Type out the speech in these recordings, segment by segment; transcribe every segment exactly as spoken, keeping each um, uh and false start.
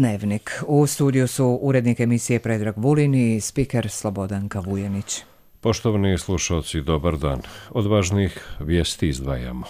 Dnevnik. U studiju su urednik emisije Predrag Vulin i spiker Slobodanka Vujanić. Poštovani slušalci, dobar dan. Od važnih vijesti izdvajamo.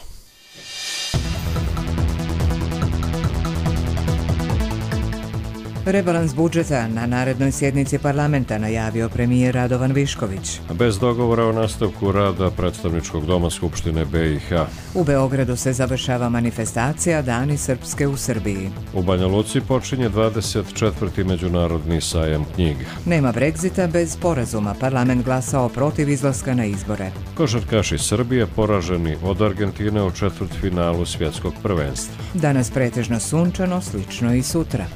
Rebalans budžeta na narednoj sjednici parlamenta najavio premijer Radovan Višković. Bez dogovora o nastavku rada predstavničkog doma Skupštine be i ha. U Beogradu se završava manifestacija Dani Srpske u Srbiji. U Banja Luci počinje dvadeset četvrti međunarodni sajam knjiga. Nema Brexita bez sporazuma. Parlament glasao protiv izlaska na izbore. Košarkaši Srbije poraženi od Argentine u četvrtfinalu svjetskog prvenstva. Danas pretežno sunčano, slično i sutra.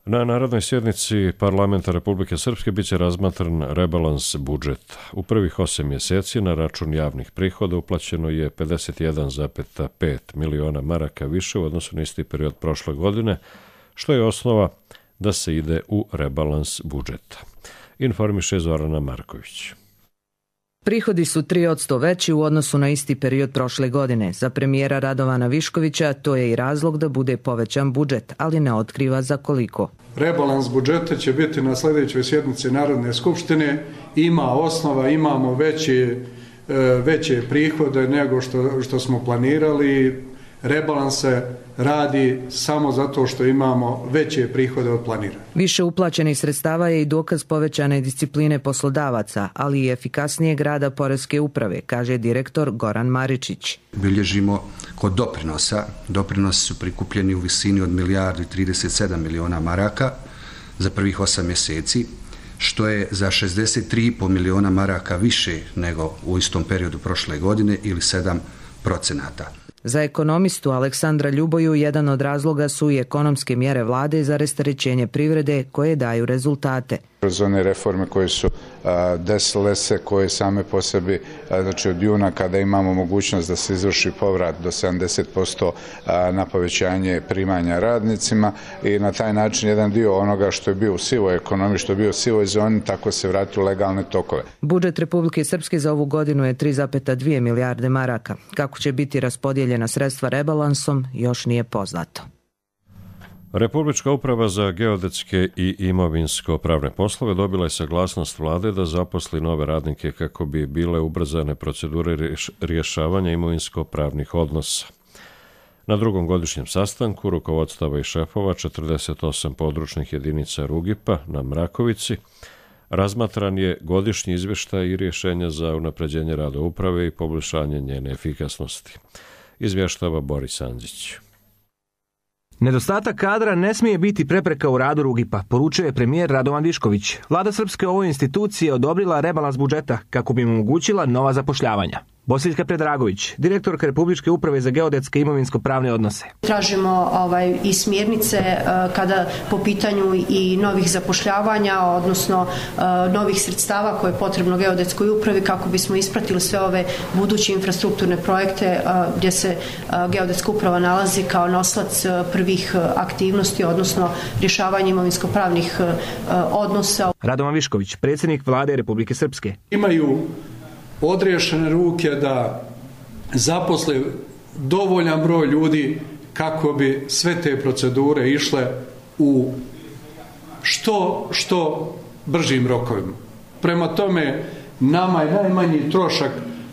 Na narodnoj sjednici parlamenta Republike Srpske biće razmatran rebalans budžeta. U prvih osam mjeseci na račun javnih prihoda uplaćeno je pedeset jedan zarez pet miliona maraka više u odnosu na isti period prošle godine, što je osnova da se ide u rebalans budžeta. Informiše Zorana Marković. Prihodi su tri posto veći u odnosu na isti period prošle godine. Za premijera Radovana Viškovića to je i razlog da bude povećan budžet, ali ne otkriva za koliko. Rebalans budžeta će biti na sljedećoj sjednici Narodne skupštine. Ima osnova, imamo veće, veće prihode nego što, što smo planirali. Rebalans se radi samo zato što imamo veće prihode od planiranih. Više uplaćenih sredstava je i dokaz povećane discipline poslodavaca, ali i efikasnijeg rada poreske uprave, kaže direktor Goran Maričić. Bilježimo kod doprinosa. Doprinosi su prikupljeni u visini od milijardu i trideset sedam miliona maraka za prvih osam mjeseci, što je za šezdeset tri zarez pet miliona maraka više nego u istom periodu prošle godine ili sedam procenata. Za ekonomistu Aleksandra Ljuboju jedan od razloga su i ekonomske mjere vlade za rasterećenje privrede koje daju rezultate. Kroz one reforme koje su a, desile se, koje same po sebi, a, znači od juna kada imamo mogućnost da se izvrši povrat do sedamdeset posto a, na povećanje primanja radnicima i na taj način jedan dio onoga što je bio u sivoj ekonomiji, što je bio u sivoj zoni, tako se vrati u legalne tokove. Budžet Republike Srpske za ovu godinu je tri zarez dvije milijarde maraka. Kako će biti raspodijeljena sredstva rebalansom, još nije poznato. Republička uprava za geodetske i imovinsko-pravne poslove dobila je saglasnost vlade da zaposli nove radnike kako bi bile ubrzane procedure rješavanja imovinsko-pravnih odnosa. Na drugom godišnjem sastanku rukovodstava i šefova četrdeset osam područnih jedinica Rugipa na Mrakovici razmatran je godišnji izvještaj i rješenja za unapređenje rada uprave i poboljšanje njene efikasnosti. Izvještava Boris Andžić. Nedostatak kadra ne smije biti prepreka u radu Rugipa, poručuje je premijer Radovan Višković. Vlada Srpske ovoj instituciji je odobrila rebalans budžeta kako bi im omogućila nova zapošljavanja. Bosiljka Predragović, direktorka Republičke uprave za geodetske i imovinsko-pravne odnose. Tražimo ovaj, i smjernice uh, kada po pitanju i novih zapošljavanja, odnosno uh, novih sredstava koje je potrebno geodetskoj upravi kako bismo ispratili sve ove buduće infrastrukturne projekte uh, gdje se uh, geodetska uprava nalazi kao noslac uh, prvih uh, aktivnosti, odnosno rješavanje imovinsko-pravnih uh, odnosa. Radovan Višković, predsjednik Vlade Republike Srpske. Imaju odriješene ruke da zaposle dovoljan broj ljudi kako bi sve te procedure išle u što, što bržim rokovima. Prema tome, nama je najmanji trošak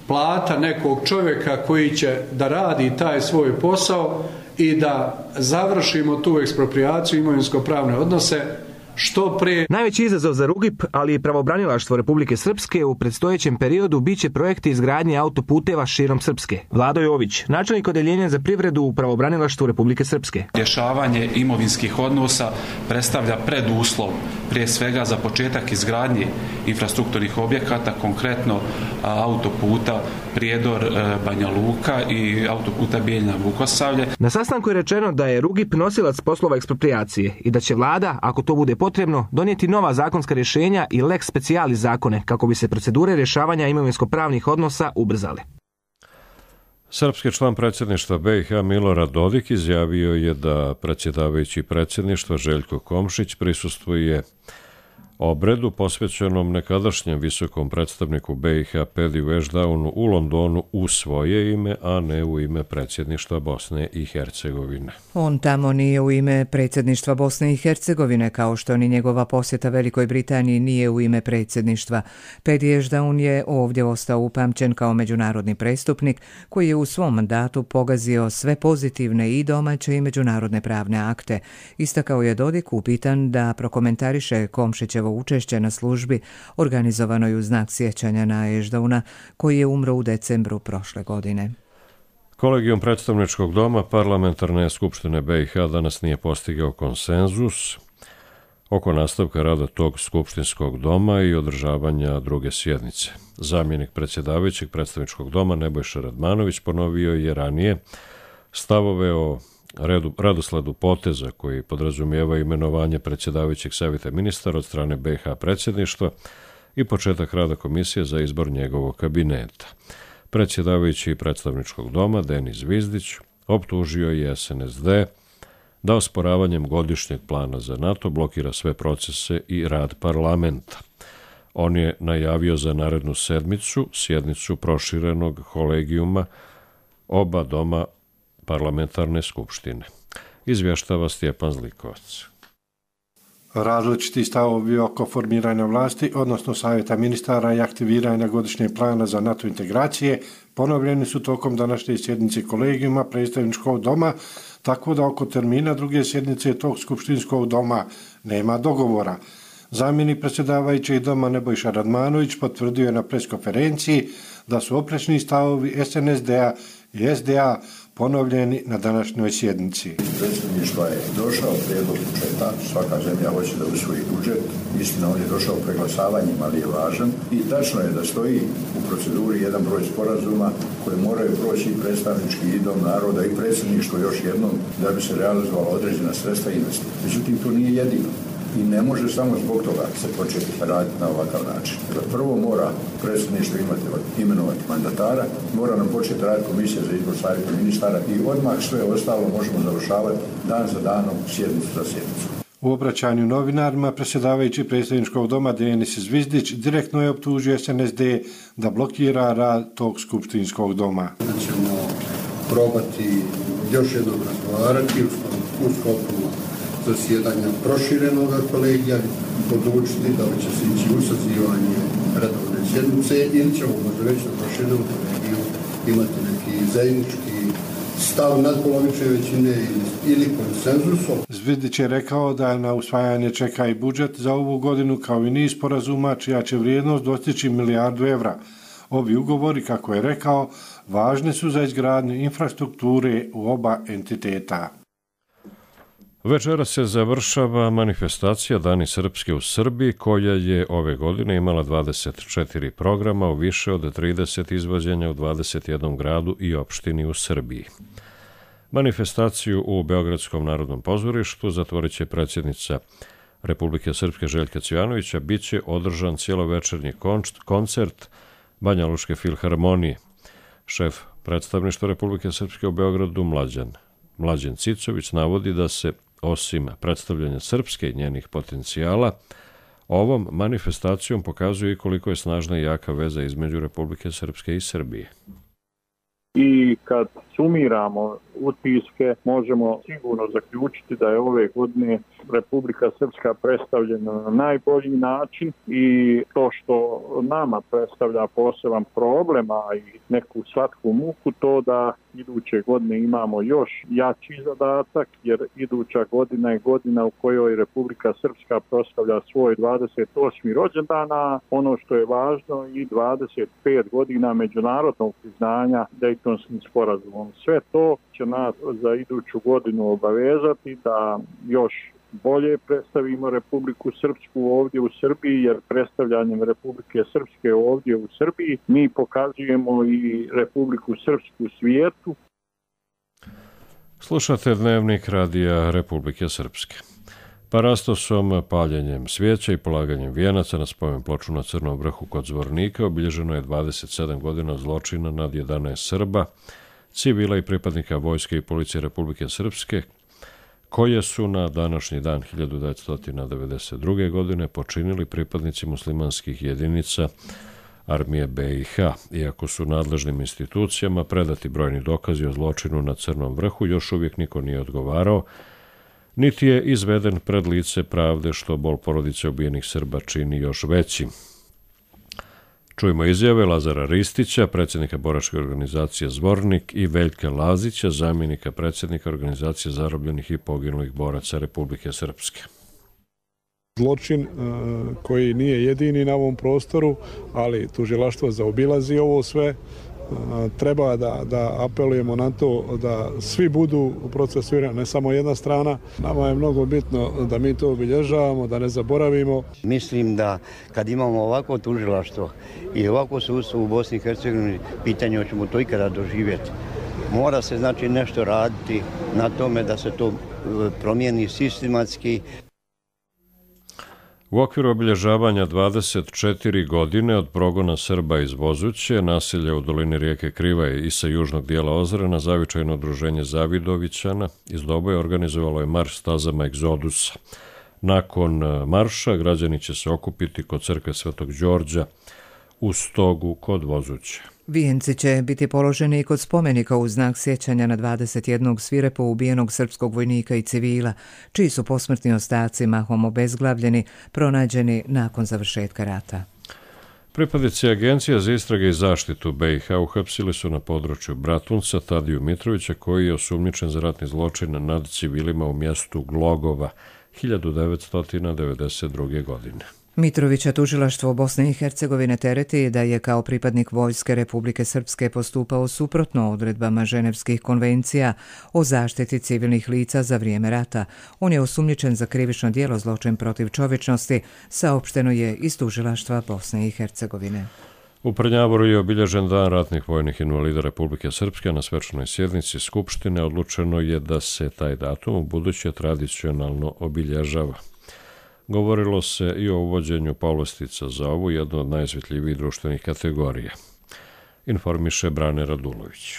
plata nekog čovjeka koji će da radi taj svoj posao i da završimo tu eksproprijaciju imovinsko-pravne odnose što prije. Najveći izazov za Rugip, ali i pravobranilaštvo Republike Srpske u predstojećem periodu biće projekti izgradnje autoputeva širom Srpske. Vlado Jović, načelnik odeljenja za privredu u pravobranilaštvu Republike Srpske. Rješavanje imovinskih odnosa predstavlja preduslov prije svega za početak izgradnje infrastrukturnih objekata, konkretno autoputa Prijedor Banja Luka i autoputa Bijeljina Vukosavlje. Na sastanku je rečeno da je Rugip nosilac poslova eksproprijacije i da će vlada, ako to bude potrebno, donijeti nova zakonska rješenja i lex specialis zakone kako bi se procedure rješavanja imovinsko-pravnih odnosa ubrzale. Srpski član predsjedništva be i ha Milorad Dodik izjavio je da predsjedavajući predsjedništva Željko Komšić prisustvuje obredu posvećenom nekadašnjem visokom predstavniku B i H Pediju Ešdaunu u Londonu u svoje ime, a ne u ime predsjedništva Bosne i Hercegovine. On tamo nije u ime predsjedništva Bosne i Hercegovine, kao što ni njegova posjeta Velikoj Britaniji nije u ime predsjedništva. Pedi Ešdaun je ovdje ostao upamćen kao međunarodni prestupnik koji je u svom mandatu pogazio sve pozitivne i domaće i međunarodne pravne akte. Istakao je Dodik upitan da prokomentariše Komšićevo učešće na službi organizovanoj u znak sjećanja na Ešdauna koji je umro u decembru prošle godine. Kolegijum predstavničkog doma Parlamentarne skupštine B i H danas nije postigao konsenzus oko nastavka rada tog skupštinskog doma i održavanja druge sjednice. Zamjenik predsjedavajućeg predstavničkog doma Nebojša Radmanović ponovio je ranije stavove o redu, radosledu poteza koji podrazumijeva imenovanje predsjedavajućeg savjeta ministara od strane B i H predsjedništva i početak rada komisije za izbor njegovog kabineta. Predsjedavajući predstavničkog doma Denis Zvizdić optužio je S N S D da osporavanjem godišnjeg plana za NATO blokira sve procese i rad parlamenta. On je najavio za narednu sedmicu sjednicu proširenog kolegijuma oba doma Parlamentarne skupštine. Izvještava Stjepan Zlikovac. Različiti stavovi oko formiranja vlasti, odnosno savjeta ministara i aktiviranja godišnjeg plana za NATO integracije, ponovljeni su tokom današnje sjednice kolegijuma predstavničkog doma, tako da oko termina druge sjednice tog skupštinskog doma nema dogovora. Zamjenik predsjedavajućeg doma Nebojša Radmanović potvrdio je na preskonferenciji da su oprečni stavovi S N S D-a i S D A ponovljeni na današnjoj sjednici. Predsjedništva je došao prijedlog budžeta, svaka zemlja hoće da usvoji budžet, istina on je došao preglasavanjem, ali je važan i tačno je da stoji u proceduri jedan broj sporazuma koje moraju proći i predstavnički i dom naroda i predsjedništvo još jednom da bi se realizovala određena sredstva i investicije. Međutim, to nije jedino. I ne može samo zbog toga se početi raditi na ovakav način. Prvo mora predsjedništvo imati, imenovati mandatara, mora nam početi raditi komisija za izbor savjeta ministara i odmah sve ostalo možemo završavati dan za danom, sjednicu za sjednicu. U obraćanju novinarima predsjedavajući predstavničkog doma Denis Zvizdić direktno je optužio S N S D da blokira rad tog skupštinskog doma. Da ćemo probati još jednom razgovarati u sklopu zasjedanja proširenog kolegija, odlučiti da li će se ići u sazivanje redovne sjednice ili ćemo možda već na proširenom kolegiju imati neki zajednički stav nadpolovične većine ili konsenzusom. Zvizdić je rekao da na usvajanje čeka i budžet za ovu godinu kao i niz sporazuma čija će vrijednost dostići milijardu evra. Ovi ugovori, kako je rekao, važni su za izgradnju infrastrukture u oba entiteta. Večera se završava manifestacija Dani Srpske u Srbiji, koja je ove godine imala dvadeset četiri programa u više od trideset izvođenja u dvadeset jednom gradu i opštini u Srbiji. Manifestaciju u Beogradskom narodnom pozorištu zatvorit će predsjednica Republike Srpske Željka Cvijanovića, bit će održan cijelovečernji koncert Banja Lučke filharmonije. Šef predstavništva Republike Srpske u Beogradu Mlađan, Mlađan Cicović navodi da se osim predstavljanja Srpske i njenih potencijala, ovom manifestacijom pokazuje i koliko je snažna i jaka veza između Republike Srpske i Srbije. I kad sumiramo utiske, možemo sigurno zaključiti da je ove godine Republika Srpska predstavljena na najbolji način i to što nama predstavlja poseban problem, a i neku slatku muku, to da iduće godine imamo još jači zadatak, jer iduća godina je godina u kojoj Republika Srpska proslavlja svoj dvadeset osmi rođendan, a ono što je važno i dvadeset pet godina međunarodnog priznanja Dejtonskim sporazumom. Sve to će nas za iduću godinu obavezati da još bolje predstavimo Republiku Srpsku ovdje u Srbiji, jer predstavljanjem Republike Srpske ovdje u Srbiji mi pokazujemo i Republiku Srpsku u svijetu. Slušate Dnevnik Radija Republike Srpske. Parastosom, paljenjem svijeća i polaganjem vijenaca na spomen ploču na Crnom vrhu kod Zvornika obilježeno je dvadeset sedam godina zločina nad jedanaest Srba, civila i pripadnika vojske i policije Republike Srpske, koje su na današnji dan hiljadu devetsto devedeset druge. godine počinili pripadnici muslimanskih jedinica armije be i ha. Iako su nadležnim institucijama predati brojni dokazi o zločinu na Crnom vrhu, još uvijek niko nije odgovarao, niti je izveden pred lice pravde, što bol porodice ubijenih Srba čini još većim. Čujemo izjave Lazara Ristića, predsjednika boračke organizacije Zvornik, i Veljka Lazića, zamjenika predsjednika organizacije zarobljenih i poginulih boraca Republike Srpske. Zločin koji nije jedini na ovom prostoru, ali tužilaštvo zaobilazi ovo sve. Treba da, da apelujemo na to da svi budu procesuirani, ne samo jedna strana. Nama je mnogo bitno da mi to obilježavamo, da ne zaboravimo. Mislim da kad imamo ovako tužilaštvo i ovako sudstvo u Bosni i Hercegovini, pitanje hoćemo to ikada doživjeti. Mora se znači nešto raditi na tome da se to promijeni sistematski. U okviru obilježavanja dvadeset četiri godine od progona Srba iz Vozuće, naselja u dolini rijeke Krivaje i sa južnog dijela Ozrena, zavičajno udruženje Zavidovićana iz Doboja organizovalo je marš stazama Egzodusa. Nakon marša građani će se okupiti kod crkve Svetog Đorđa u Stogu kod Vozuće. Vijenci će biti položeni i kod spomenika u znak sjećanja na dvadeset jednog svirepo ubijenog srpskog vojnika i civila, čiji su posmrtni ostaci mahom obezglavljeni, pronađeni nakon završetka rata. Pripadnici Agencije za istrage i zaštitu be i ha uhapsili su na području Bratunca Tadiju Mitrovića, koji je osumnjičen za ratni zločin nad civilima u mjestu Glogova hiljadu devetsto devedeset druge. godine. Mitrovića tužilaštvo Bosne i Hercegovine tereti da je kao pripadnik vojske Republike Srpske postupao suprotno odredbama Ženevskih konvencija o zaštiti civilnih lica za vrijeme rata. On je osumnjičen za krivično djelo zločin protiv čovječnosti, saopšteno je iz tužilaštva Bosne i Hercegovine. U Prnjavoru je obilježen dan ratnih vojnih invalida Republike Srpske. Na svečanoj sjednici Skupštine odlučeno je da se taj datum u buduće tradicionalno obilježava. Govorilo se i o uvođenju povlastica za ovu, jednu od najosjetljivijih društvenih kategorija. Informiše Brane Radulović.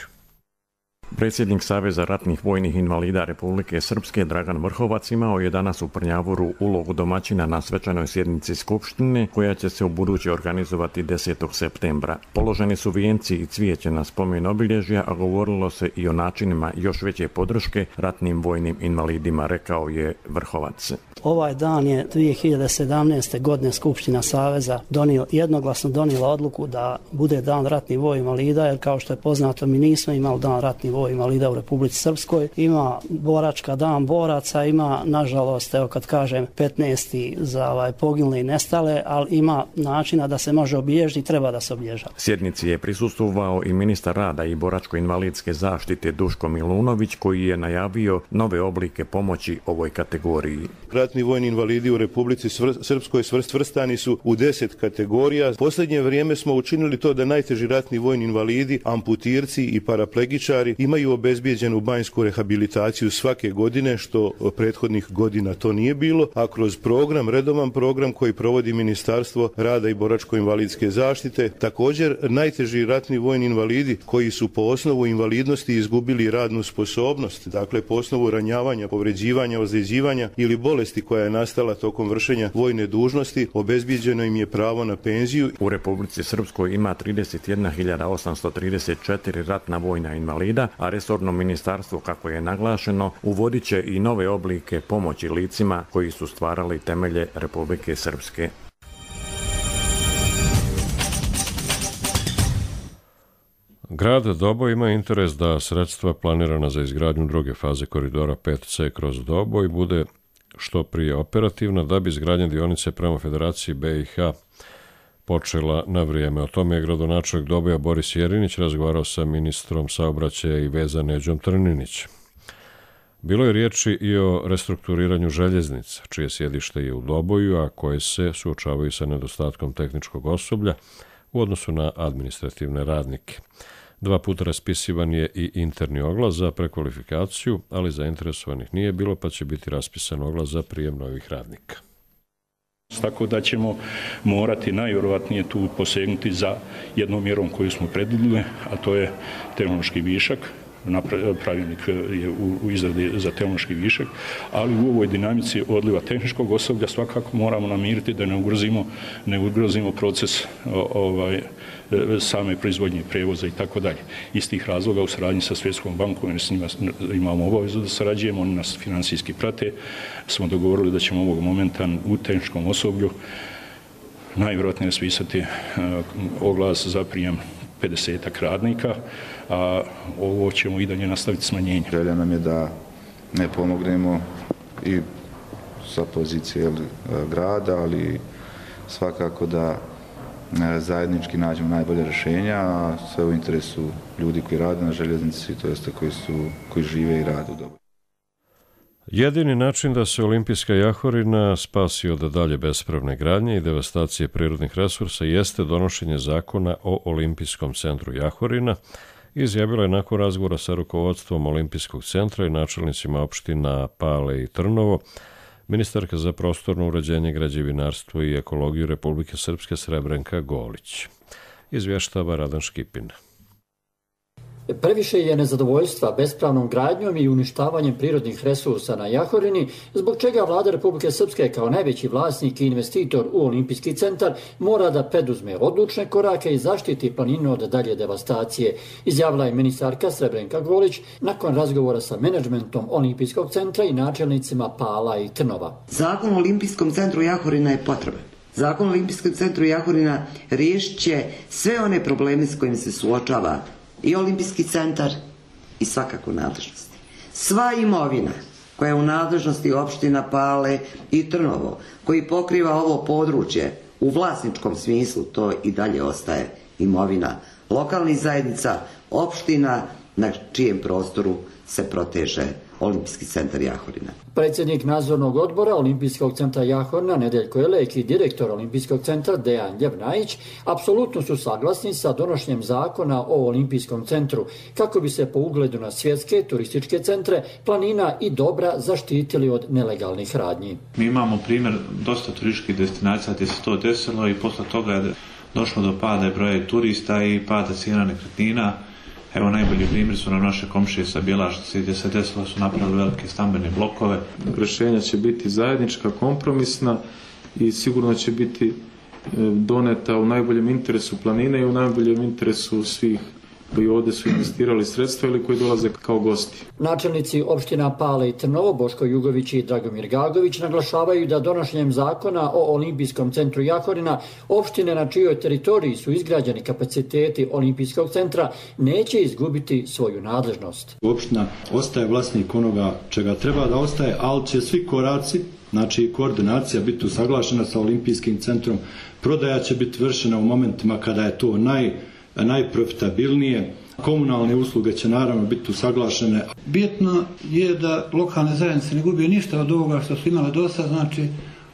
Predsjednik Saveza ratnih vojnih invalida Republike Srpske Dragan Vrhovac imao je danas u Prnjavoru ulogu domaćina na svečanoj sjednici Skupštine, koja će se u buduće organizovati desetog septembra. Položeni su vijenci i cvijeće na spomen obilježja, a govorilo se i o načinima još veće podrške ratnim vojnim invalidima, rekao je Vrhovac. Ovaj dan je dvije hiljade sedamnaeste. godine Skupština Saveza donio, jednoglasno donijela odluku da bude dan ratnih vojnih invalida, jer kao što je poznato mi nismo imali dan ratnih vojnih invalida u Republici Srpskoj. Ima boračka dan boraca, ima nažalost, evo kad kažem petnaesti za ovaj, poginule i nestale, ali ima načina da se može obilježiti i treba da se obilježava. Sjednici je prisustvovao i ministar rada i boračko-invalidske zaštite Duško Milunović, koji je najavio nove oblike pomoći ovoj kategoriji. Ratni vojni invalidi u Republici Srpskoj svrstani su u deset kategorija. Posljednje vrijeme smo učinili to da najteži ratni vojni invalidi, amputirci i paraplegičari imaju obezbijeđenu banjsku rehabilitaciju svake godine, što prethodnih godina to nije bilo, a kroz program, redovan program koji provodi Ministarstvo rada i boračko-invalidske zaštite, također najteži ratni vojni invalidi koji su po osnovu invalidnosti izgubili radnu sposobnost, dakle po osnovu ranjavanja, povređivanja, ozljeđivanja ili bolesti koja je nastala tokom vršenja vojne dužnosti, obezbijeđeno im je pravo na penziju. U Republici Srpskoj ima trideset jedna hiljada osamsto trideset četiri ratna vojna invalida, a resorno ministarstvo, kako je naglašeno, uvodit će i nove oblike pomoći licima koji su stvarali temelje Republike Srpske. Grad Doboj ima interes da sredstva planirana za izgradnju druge faze koridora pet ce kroz Doboj bude što prije operativna, da bi izgradnja dionice prema Federaciji be i ha počela na vrijeme. O tome je gradonačelnik Doboja Boris Jerinić razgovarao sa ministrom saobraćaja i veza Neđom Trninićem. Bilo je riječi i o restrukturiranju željeznica, čije sjedište je u Doboju, a koje se suočavaju sa nedostatkom tehničkog osoblja u odnosu na administrativne radnike. Dva puta raspisivan je i interni oglas za prekvalifikaciju, ali zainteresovanih nije bilo, pa će biti raspisan oglas za prijem novih radnika. Tako da ćemo morati najvjerovatnije tu posegnuti za jednom mjerom koju smo predvidjeli, a to je tehnološki višak. pravilnik je u izradi za tehnološki višak, ali u ovoj dinamici odliva tehničkog osoblja svakako moramo namiriti da ne ugrozimo, ne ugrozimo proces ovaj, same proizvodnje, prevoza i tako dalje. Iz tih razloga u saradnji sa Svjetskom bankom, jer s njima imamo obavezu da sarađujemo, oni nas financijski prate, smo dogovorili da ćemo ovog momenta u tehničkom osoblju najvjerojatnije raspisati oglas za prijem pedesetak radnika, a ovo ćemo i dalje nastaviti smanjenje. Želja nam je da ne pomognemo i sa pozicije grada, ali svakako da zajednički nađemo najbolje rješenja, a sve u interesu ljudi koji rade na željeznici, to jeste koji, su, koji žive i rade u dobro. Jedini način da se olimpijska jahorina spasi od dalje bespravne gradnje i devastacije prirodnih resursa jeste donošenje zakona o Olimpijskom centru Jahorina, izjavila je nakon razgovora sa rukovodstvom Olimpijskog centra i načelnicima opština Pale i Trnovo ministarka za prostorno uređenje, građevinarstvo i ekologiju Republike Srpske Srebrenka Golić. Izvještava Radan Škipin. Previše je nezadovoljstva bespravnom gradnjom i uništavanjem prirodnih resursa na Jahorini, zbog čega vlada Republike Srpske kao najveći vlasnik i investitor u Olimpijski centar mora da preduzme odlučne korake i zaštiti planinu od dalje devastacije, izjavila je ministarka Srebrenka Golić nakon razgovora sa menadžmentom Olimpijskog centra i načelnicima Pala i Trnova. Zakon o Olimpijskom centru Jahorina je potreban. Zakon o Olimpijskom centru Jahorina riješit će sve one probleme s kojim se suočava i Olimpijski centar i svakako nadležnosti. Sva imovina koja je u nadležnosti opština Pale i Trnovo, koji pokriva ovo područje u vlasničkom smislu, to i dalje ostaje imovina lokalnih zajednica, opština na čijem prostoru se proteže Olimpijski centar Jahorina. Predsjednik nadzornog odbora Olimpijskog centra Jahorina Nedeljko Elek i direktor Olimpijskog centra Dejan Ljevnajić apsolutno su saglasni sa donošenjem zakona o Olimpijskom centru kako bi se po ugledu na svjetske turističke centre, planina i dobra zaštitili od nelegalnih radnji. Mi imamo primjer dosta turističkih destinacija gdje se to desilo i posle toga je došlo do pada broja turista i pada cijena nekretnina. Evo, najbolji primjer su nam naše komšije sa Bjelašnice gdje se desilo su napravili velike stambene blokove. Rješenja će biti zajednička, kompromisna i sigurno će biti doneta u najboljem interesu planine i u najboljem interesu svih koji ovdje su investirali sredstva ili koji dolaze kao gosti. Načelnici opština Pale i Trnovo, Boško Jugović i Dragomir Gagović, naglašavaju da donošenjem zakona o Olimpijskom centru Jahorina opštine na čijoj teritoriji su izgrađeni kapaciteti Olimpijskog centra neće izgubiti svoju nadležnost. Opština ostaje vlasnik onoga čega treba da ostaje, ali će svi koraci, znači koordinacija biti usaglašena sa Olimpijskim centrom, prodaja će biti vršena u momentima kada je to naj najprofitabilnije. Komunalne usluge će naravno biti usaglašene. Bitno je da lokalne zajednice ne gubije ništa od ovoga što su imale do sada, znači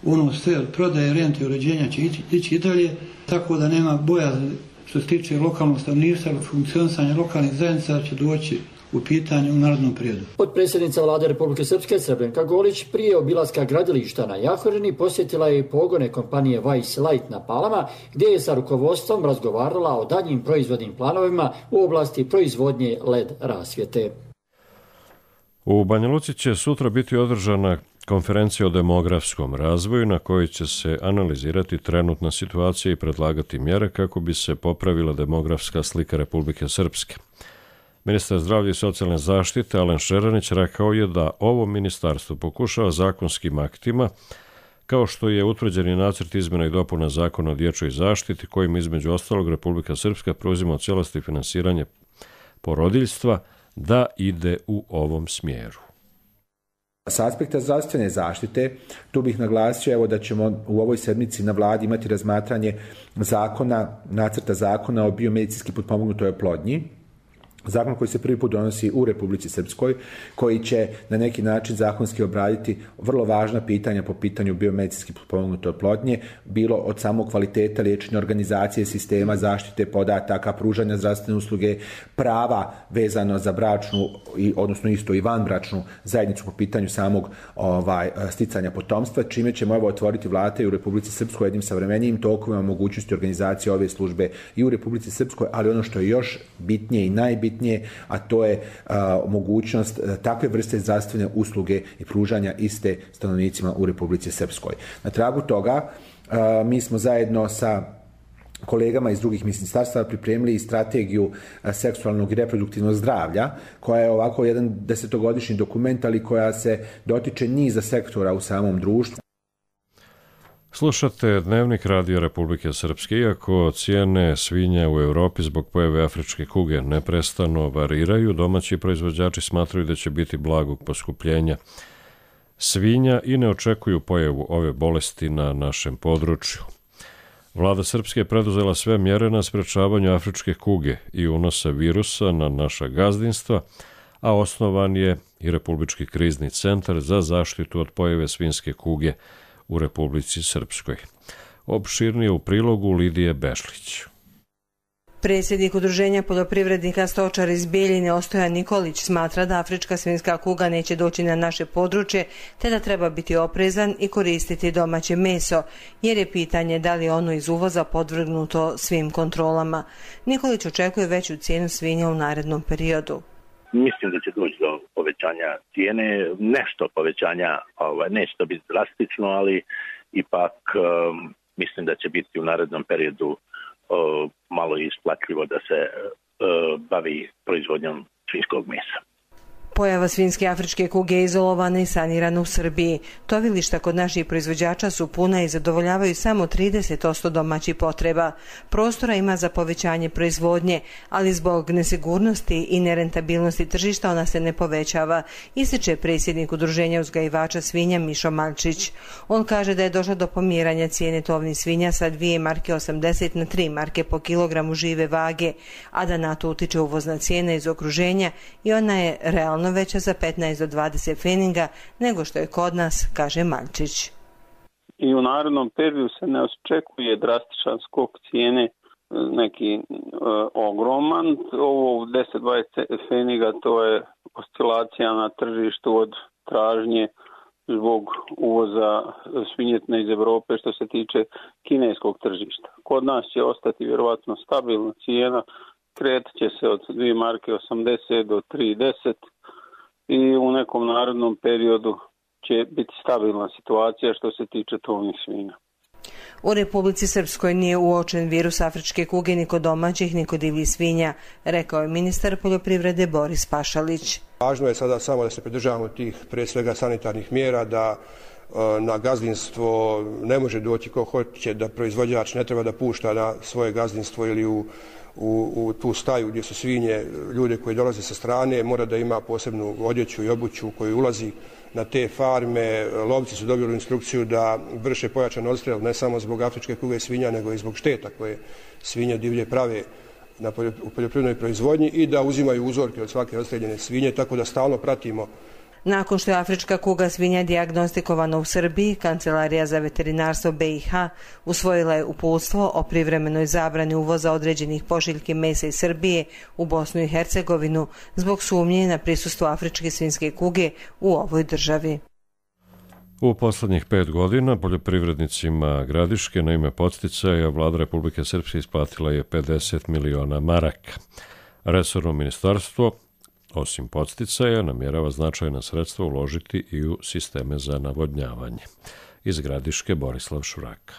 ono sve od prodaje, rente i uređenja će ići, ići i dalje, tako da nema bojazni što se tiče lokalnog stanovništva, funkcionisanja lokalnih zajednica će doći u pitanju u narodnom periodu. Potpredsjednica vlade Republike Srpske Srebrenka Golić prije obilaska gradilišta na Jahorini posjetila je i pogone kompanije Vice Light na Palama, gdje je sa rukovodstvom razgovarala o daljnjim proizvodnim planovima u oblasti proizvodnje L E D rasvjete. U Banja Luci će sutra biti održana konferencija o demografskom razvoju na kojoj će se analizirati trenutna situacija i predlagati mjere kako bi se popravila demografska slika Republike Srpske. Ministar zdravlja i socijalne zaštite Alen Šeranić rekao je da ovo ministarstvo pokušava zakonskim aktima, kao što je utvrđeni nacrt izmjena i dopuna zakona o dječjoj zaštiti, kojim između ostalog Republika Srpska preuzima u cijelosti finansiranje porodiljstva, da ide u ovom smjeru. Sa aspekta zdravstvene zaštite, tu bih naglasio evo, da ćemo u ovoj sedmici na vladi imati razmatranje zakona, nacrta zakona o biomedicinski potpomognutoj oplodnji, zakon koji se prvi put donosi u Republici Srpskoj, koji će na neki način zakonski obraditi vrlo važna pitanja po pitanju biomedicinski potpomognute oplodnje, bilo od samog kvaliteta liječenja, organizacije sistema, zaštite podataka, pružanja zdravstvene usluge, prava vezano za bračnu, odnosno isto i vanbračnu zajednicu po pitanju samog ovaj, sticanja potomstva, čime ćemo evo otvoriti vrata u Republici Srpskoj jednim savremenijim tokovima mogućnosti organizacije ove službe i u Republici Srpskoj, ali ono što je još bitnije i najbitnije najbitnije, a to je a, mogućnost a, takve vrste zdravstvene usluge i pružanja iste stanovnicima u Republici Srpskoj. Na tragu toga a, mi smo zajedno sa kolegama iz drugih ministarstava pripremili i strategiju seksualnog i reproduktivnog zdravlja, koja je ovako jedan desetogodišnji dokument, ali koja se dotiče niza sektora u samom društvu. Slušate Dnevnik Radio Republike Srpske. Iako cijene svinja u Europi zbog pojave afričke kuge neprestano variraju, domaći proizvođači smatraju da će biti blagog poskupljenja svinja i ne očekuju pojavu ove bolesti na našem području. Vlada Srpske je preduzela sve mjere na sprečavanju afričke kuge i unosa virusa na naša gazdinstva, a osnovan je i Republički krizni centar za zaštitu od pojave svinjske kuge u Republici Srpskoj. Opširnije u prilogu Lidije Bešlić. Predsjednik Udruženja poljoprivrednika stočara iz Bijeljine Ostojan Nikolić smatra da afrička svinjska kuga neće doći na naše područje, te da treba biti oprezan i koristiti domaće meso, jer je pitanje da li je ono iz uvoza podvrgnuto svim kontrolama. Nikolić očekuje veću cijenu svinja u narednom periodu. Mislim da će doći do povećanja cijene, nešto povećanja, ovaj, neće to biti drastično, ali ipak um, mislim da će biti u narednom periodu O, malo isplatljivo da se o, bavi proizvodnjom svinjskog mesa. Pojava svinjske afričke kuge je izolovana i sanirana u Srbiji. Tovilišta kod naših proizvođača su puna i zadovoljavaju samo trideset posto domaćih potreba. Prostora ima za povećanje proizvodnje, ali zbog nesigurnosti i nerentabilnosti tržišta ona se ne povećava, ističe predsjednik Udruženja uzgajivača svinja Mišo Malčić. On kaže da je došlo do pomjeranja cijene tovnih svinja sa dvije marke osamdeset na tri marke po kilogramu žive vage, a da na to utiče uvozna cijena iz okruženja i ona je realno veća za petnaest do dvadeset feninga nego što je kod nas, kaže Malčić. I u narednom periodu se ne očekuje drastičan skok cijene, neki e, ogroman. Ovo deset do dvadeset feninga to je oscilacija na tržištu od tražnje zbog uvoza svinjetine iz Evrope što se tiče kineskog tržišta. Kod nas će ostati vjerovatno stabilna cijena, kretat će se od dvije marke osamdeset do tri deset i u nekom narednom periodu će biti stabilna situacija što se tiče tovnih svinja. U Republici Srpskoj nije uočen virus afričke kuge ni kod domaćih ni kod divljih svinja, rekao je ministar poljoprivrede Boris Pašalić. Važno je sada samo da se pridržavamo tih prije svega sanitarnih mjera, da na gazdinstvo ne može doći ko hoće, da proizvođač ne treba da pušta na svoje gazdinstvo ili u U, u tu staju gdje su svinje, ljude koji dolaze sa strane, mora da ima posebnu odjeću i obuću koji ulazi na te farme. Lovci su dobili instrukciju da vrše pojačan odstrel ne samo zbog afričke kuge svinja, nego i zbog šteta koje svinje divlje prave na u poljoprivrednoj proizvodnji i da uzimaju uzorke od svake odstreljene svinje, tako da stalno pratimo. Nakon što je afrička kuga svinja dijagnostikovana u Srbiji, Kancelarija za veterinarstvo B i H usvojila je uputstvo o privremenoj zabrani uvoza određenih pošiljki mesa iz Srbije u Bosnu i Hercegovinu zbog sumnje na prisustvo afričke svinjske kuge u ovoj državi. U poslednjih pet godina poljoprivrednicima Gradiške na ime podsticaja Vlada Republike Srpske isplatila je pedeset miliona maraka. Resorno ministarstvo osim podsticaja, namjerava značajna sredstva uložiti i u sisteme za navodnjavanje. Iz Gradiške Borislav Šuraka.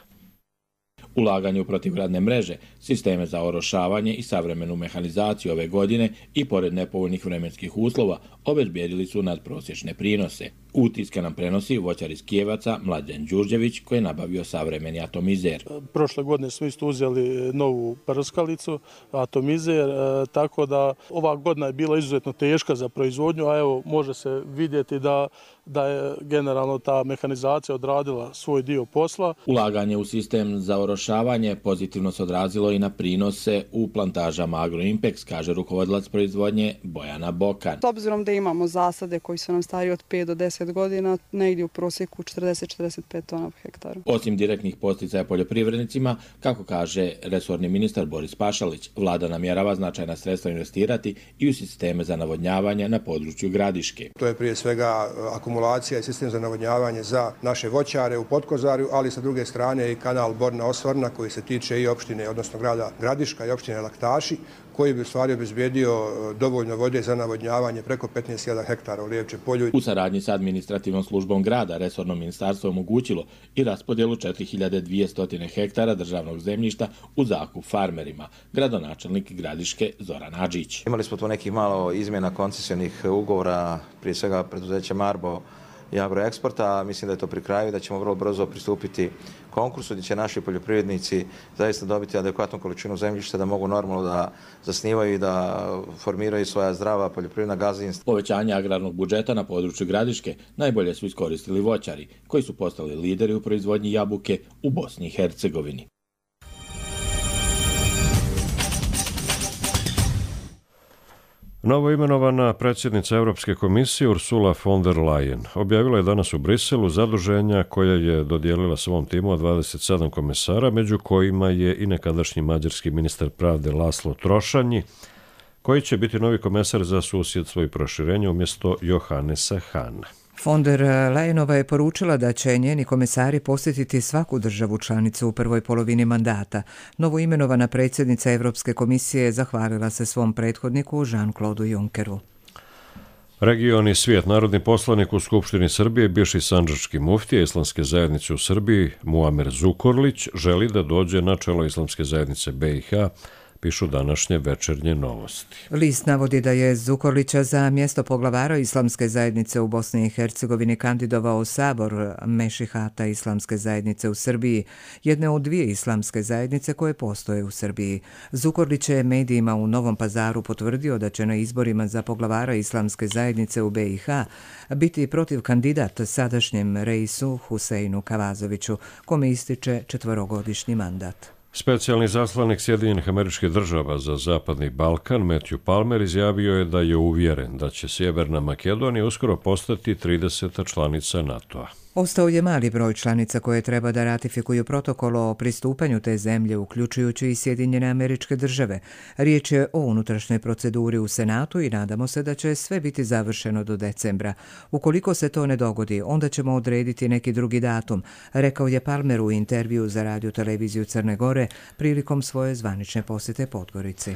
Ulaganje u protivgradne mreže, sisteme za orošavanje i savremenu mehanizaciju ove godine i pored nepovoljnih vremenskih uslova obezbijedili su nadprosječne prinose. Utiske nam prenosi voćar iz Kijevaca Mlađan Đurđević koji je nabavio savremeni atomizer. Prošle godine smo isto uzeli novu prskalicu, atomizer, tako da ova godina je bila izuzetno teška za proizvodnju, a evo može se vidjeti da da je generalno ta mehanizacija odradila svoj dio posla. Ulaganje u sistem za orošavanje pozitivno se odrazilo i na prinose u plantažama Agroimpex, kaže rukovodilac proizvodnje Bojana Bokan. S obzirom da imamo zasade koji su nam stari od pet do deset godina, negdje u prosjeku četrdeset do četrdeset pet tona po hektaru. Osim direktnih podsticaja poljoprivrednicima, kako kaže resorni ministar Boris Pašalić, vlada namjerava značajna sredstva investirati i u sisteme za navodnjavanje na području Gradiške. To je prije svega akumulacija i sistem za navodnjavanje za naše voćare u Potkozarju, ali sa druge strane i kanal Borna Osvorna koji se tiče i opštine, odnosno grada Gradiška i opštine Laktaši, koji bi u stvari obezbijedio dovoljno vode za navodnjavanje preko petnaest hiljada hektara u Lijevče polju. U saradnji sa administrativnom službom grada resorno ministarstvo omogućilo i raspodjelu četiri hiljade dvjesto hektara državnog zemljišta u zakup farmerima. Gradonačelnik Gradiške Zoran Adžić. Imali smo tu nekih malo izmjena koncesijnih ugovora, prije svega preduzeća Marbo i Agroeksporta. Mislim da je to pri kraju, da ćemo vrlo brzo pristupiti konkursu gdje će naši poljoprivrednici zaista dobiti adekvatnu količinu zemljišta da mogu normalno da zasnivaju i da formiraju svoja zdrava poljoprivredna gazdinstva. Povećanje agrarnog budžeta na području Gradiške najbolje su iskoristili voćari, koji su postali lideri u proizvodnji jabuke u Bosni i Hercegovini. Novoimenovana predsjednica Europske komisije Ursula von der Leyen objavila je danas u Briselu zaduženja koje je dodijelila svom timu od dvadeset sedam komesara, među kojima je i nekadašnji mađarski ministar pravde Laslo Trošanji, koji će biti novi komesar za susjedstvo i proširenje umjesto Johannesa Hahna. Von der Leyenova je poručila da će njeni komesari posjetiti svaku državu članicu u prvoj polovini mandata. Novoimenovana predsjednica Europske komisije zahvalila se svom prethodniku Jean-Claude Junckeru. Region i svijet. Narodni poslanik u Skupštini Srbije, bivši sandžački muftija Islamske zajednice u Srbiji, Muamer Zukorlić, želi da dođe na čelo Islamske zajednice B i H, pišu današnje Večernje novosti. List navodi da je Zukorlića za mjesto poglavara Islamske zajednice u Bosni i Hercegovini kandidovao Sabor Mešihata Islamske zajednice u Srbiji, jedne od dvije islamske zajednice koje postoje u Srbiji. Zukorlić je medijima u Novom Pazaru potvrdio da će na izborima za poglavara Islamske zajednice u B i H biti protiv kandidat sadašnjem reisu Huseinu Kavazoviću, kome ističe četverogodišnji mandat. Specijalni zaslanik Sjedinjenih Američkih Država za Zapadni Balkan, Matthew Palmer, izjavio je da je uvjeren da će Sjeverna Makedonija uskoro postati trideseta članica NATO-a. Ostao je mali broj članica koje treba da ratifikuju protokol o pristupanju te zemlje, uključujući i Sjedinjene Američke Države. Riječ je o unutrašnjoj proceduri u Senatu i nadamo se da će sve biti završeno do decembra. Ukoliko se to ne dogodi, onda ćemo odrediti neki drugi datum, rekao je Palmer u intervju za radio televiziju Crne Gore prilikom svoje zvanične posjete Podgorici.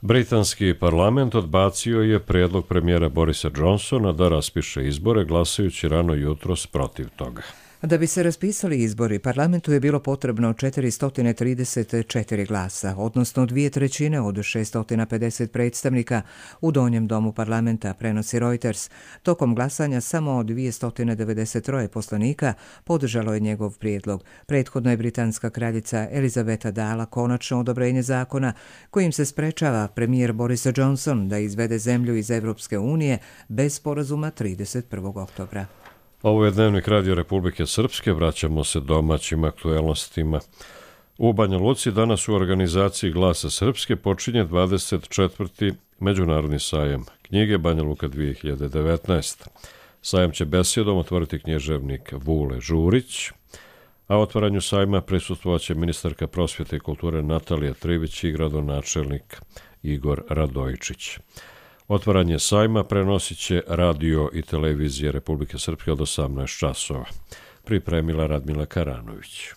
Britanski parlament odbacio je prijedlog premijera Borisa Johnsona da raspiše izbore, glasajući rano jutros protiv toga. Da bi se raspisali izbori, parlamentu je bilo potrebno četiristo trideset četiri glasa, odnosno dvije trećine od šesto pedeset predstavnika u donjem domu parlamenta, prenosi Reuters. Tokom glasanja samo dvjesto devedeset tri poslanika podržalo je njegov prijedlog. Prethodno je britanska kraljica Elizabeta dala konačno odobrenje zakona kojim se sprečava premijer Boris Johnson da izvede zemlju iz Evropske unije bez sporazuma trideset prvog oktobra. Ovo je Dnevnik Radio Republike Srpske, vraćamo se domaćim aktuelnostima. U Banja Luci danas u organizaciji Glasa Srpske počinje dvadeset četvrti Međunarodni sajam knjige Banja Luka dvije hiljade devetnaest. Sajam će besjedom otvoriti književnik Vule Žurić, a otvaranju sajma prisustvovaće ministarka prosvjete i kulture Natalija Trivić i gradonačelnik Igor Radojčić. Otvaranje sajma prenosit će radio i televizije Republike Srpske od osamnaest časova. Pripremila Radmila Karanović.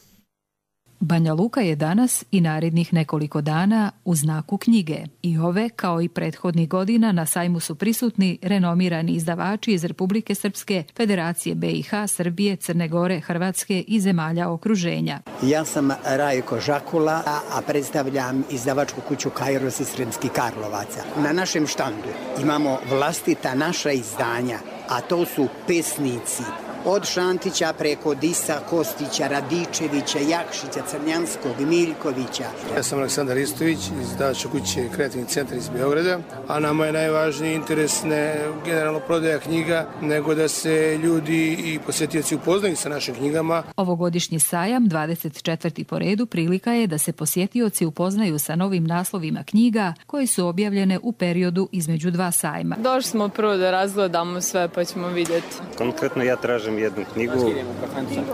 Banja Luka je danas i narednih nekoliko dana u znaku knjige. I ove, kao i prethodnih godina, na sajmu su prisutni renomirani izdavači iz Republike Srpske, Federacije B i H, Srbije, Crne Gore, Hrvatske i zemalja okruženja. Ja sam Rajko Žakula, a predstavljam izdavačku kuću Kairos iz Sremskih Karlovaca. Na našem štandu imamo vlastita naša izdanja, a to su pesnici. Od Šantića preko Disa, Kostića, Radičevića, Jakšića, Crnjanskog, Miljkovića. Ja sam Aleksandar Istović iz izdavačke kuće Kreativni centar iz Beograda, a nama je najvažniji interes ne generalno prodaja knjiga, nego da se ljudi i posjetioci upoznaju sa našim knjigama. Ovogodišnji sajam, dvadeset četvrti po redu, prilika je da se posjetioci upoznaju sa novim naslovima knjiga koje su objavljene u periodu između dva sajma. Došli smo prvo da razgledamo sve pa ćemo vidjeti. Konkretno ja tražim jednu knjigu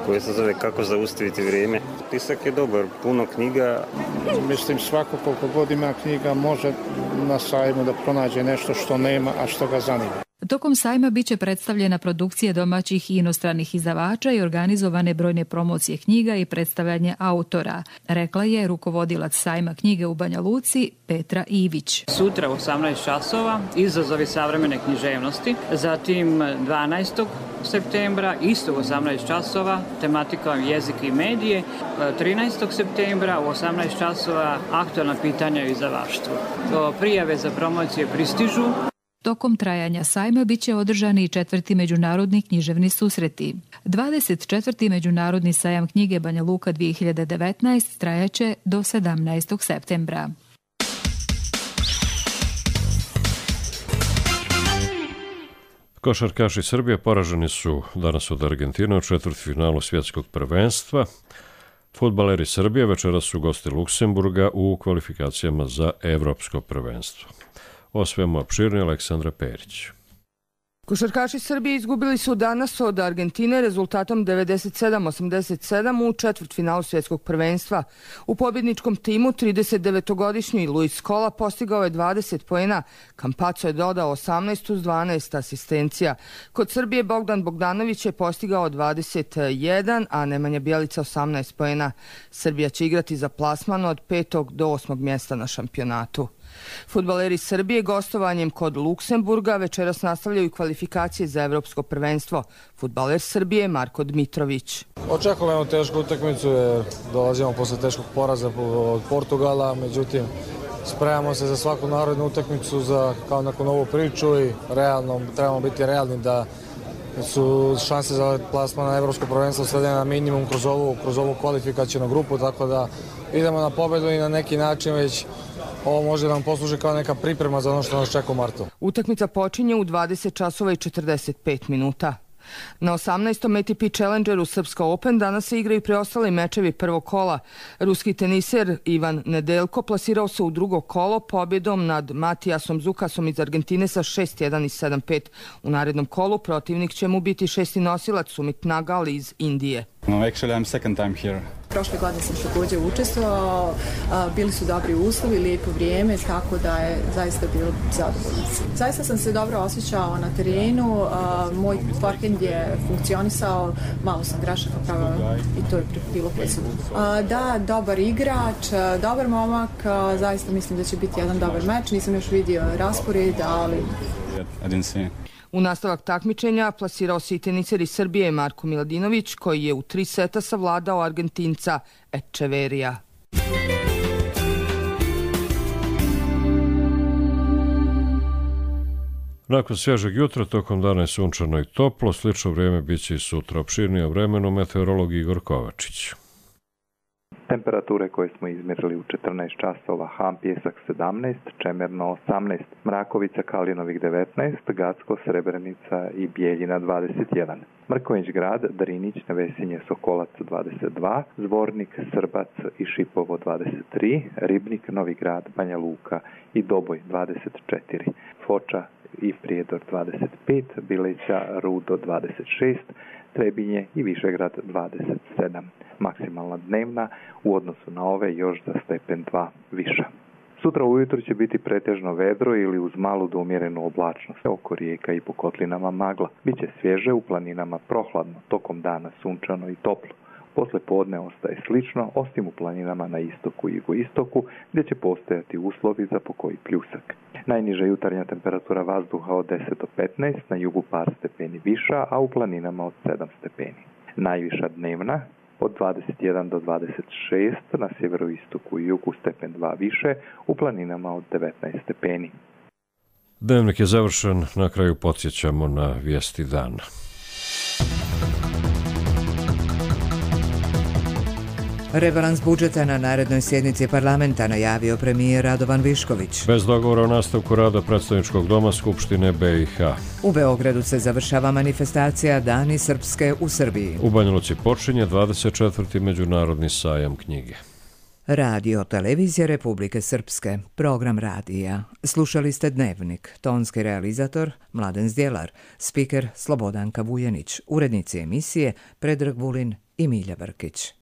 koja se zove Kako zaustaviti vrijeme. Tisak je dobar, puno knjiga. Mislim, svako koliko god ima knjiga može na sajmu da pronađe nešto što nema, a što ga zanima. Tokom sajma biće predstavljena produkcija domaćih i inostranih izdavača i organizovane brojne promocije knjiga i predstavljanje autora, rekla je rukovodilac sajma knjige u Banja Luci Petra Ivić. Sutra u osamnaest časova izazovi savremene književnosti, zatim dvanaestog septembra isto u osamnaest časova tematika jezik i medije, trinaestog septembra u osamnaest časova aktualna pitanja o izdavaštvu. Prijave za promocije pristižu. Tokom trajanja sajma biće održani i četvrti međunarodni književni susreti. dvadeset četvrti međunarodni sajam knjige Banja Luka dvije hiljade devetnaest trajaće do sedamnaestog septembra. Košarkaši Srbije poraženi su danas od Argentine u četvrtfinalu svjetskog prvenstva. Fudbaleri Srbije večeras su gosti Luksemburga u kvalifikacijama za evropsko prvenstvo. O svemu opširnije Aleksandra Perić. Košarkaši Srbije izgubili su danas od Argentine rezultatom devedeset sedam osamdeset sedam u četvrtfinalu svjetskog prvenstva. U pobjedničkom timu tridesetdevetogodišnji Luis Scola postigao je dvadeset poena, Campazzo je dodao osamnaest uz dvanaest asistencija. Kod Srbije Bogdan Bogdanović je postigao dvadeset jedan, a Nemanja Bjelica osamnaest poena. Srbija će igrati za plasman od petog do osmog mjesta na šampionatu. Fudbaleri Srbije gostovanjem kod Luksemburga večeras nastavljaju kvalifikacije za evropsko prvenstvo. Fudbaler Srbije Marko Dmitrović. Očekujemo tešku utakmicu jer dolazimo posle teškog poraza od Portugala, međutim spremamo se za svaku narednu utakmicu za kao neku novu priču i realno trebamo biti realni da su šanse za plasman na evropsko prvenstvo svedene na minimum kroz ovu, kroz ovu kvalifikacijnu grupu, tako da idemo na pobedu i na neki način već ovo može da nam posluži kao neka priprema za ono što nas čeka u martu. Utakmica počinje u dvadeset časova i četrdeset pet minuta. Na osamnaestom A T P Challengeru Srpska Open danas se igraju preostali mečevi prvog kola. Ruski teniser Ivan Nedeljko plasirao se u drugo kolo pobjedom nad Matijasom Zukasom iz Argentine sa šest jedan i sedam pet. U narednom kolu protivnik će mu biti šesti nosilac Sumit Nagal iz Indije. No, actually I'm second time here. Prošle godine sam također učestvovao, bili su dobri uslovi, lijepo vrijeme, tako da je zaista bilo zadovoljno. Zaista sam se dobro osjećao na terenu, moj forehand je funkcionisao, malo sam grešaka pravila i to je bilo presudno. Da, dobar igrač, dobar momak, zaista mislim da će biti jedan dobar meč, nisam još vidio raspored, ali... I didn't see. U nastavak takmičenja plasirao se i teniser iz Srbije Marko Miladinović, koji je u tri seta savladao Argentinca Echeverija. Nakon svježeg jutra, tokom dana je sunčano i toplo, slično vrijeme bit će i sutra. Opširnije o vremenu meteorolog Igor Kovačić. Temperature koje smo izmjerili u četrnaest časova: Ham, Pjesak sedamnaest, Čemerno osamnaest, Mrakovica, Kalinovik devetnaest, Gacko, Srebrenica i Bijeljina dvadeset jedan. Mrkonjić Grad, Drinić, Nevesinje, Sokolac dvadeset dva, Zvornik, Srbac i Šipovo dvadeset tri, Ribnik, Novi Grad, Banja Luka i Doboj dvadeset četiri, Foča i Prijedor dvadeset pet, Bileća, Rudo dvadeset šest, Trebinje i Višegrad dvadeset sedam. Maksimalna dnevna u odnosu na ove još za stepen dva viša. Sutra ujutro će biti pretežno vedro ili uz malu do umjerenu oblačnost. Oko rijeka i po kotlinama magla. Biće svježe, u planinama prohladno, tokom dana sunčano i toplo. Posle podne ostaje slično, osim u planinama na istoku i jugoistoku, gdje će postojati uslovi za pokoji pljusak. Najniža jutarnja temperatura vazduha od deset do petnaest, na jugu par stepeni viša, a u planinama od sedam stepeni. Najviša dnevna od dvadeset jedan do dvadeset šest, na sjeveroistoku i jugu stepen dva više, u planinama od devetnaest stepeni. Dnevnik je završen, na kraju podsjećamo na vijesti dana. Rebalans budžeta na narednoj sjednici parlamenta najavio premijer Radovan Višković. Bez dogovora o nastavku rada predstavničkog doma Skupštine B i H. U Beogradu se završava manifestacija Dani Srpske u Srbiji. U Banja Luci počinje dvadeset četvrti međunarodni sajam knjige. Radio Televizija Republike Srpske, program radija. Slušali ste Dnevnik, tonski realizator Mladen Zdjelar, spiker Slobodanka Vujanić, urednici emisije Predrag Vulin i Milja Brkić.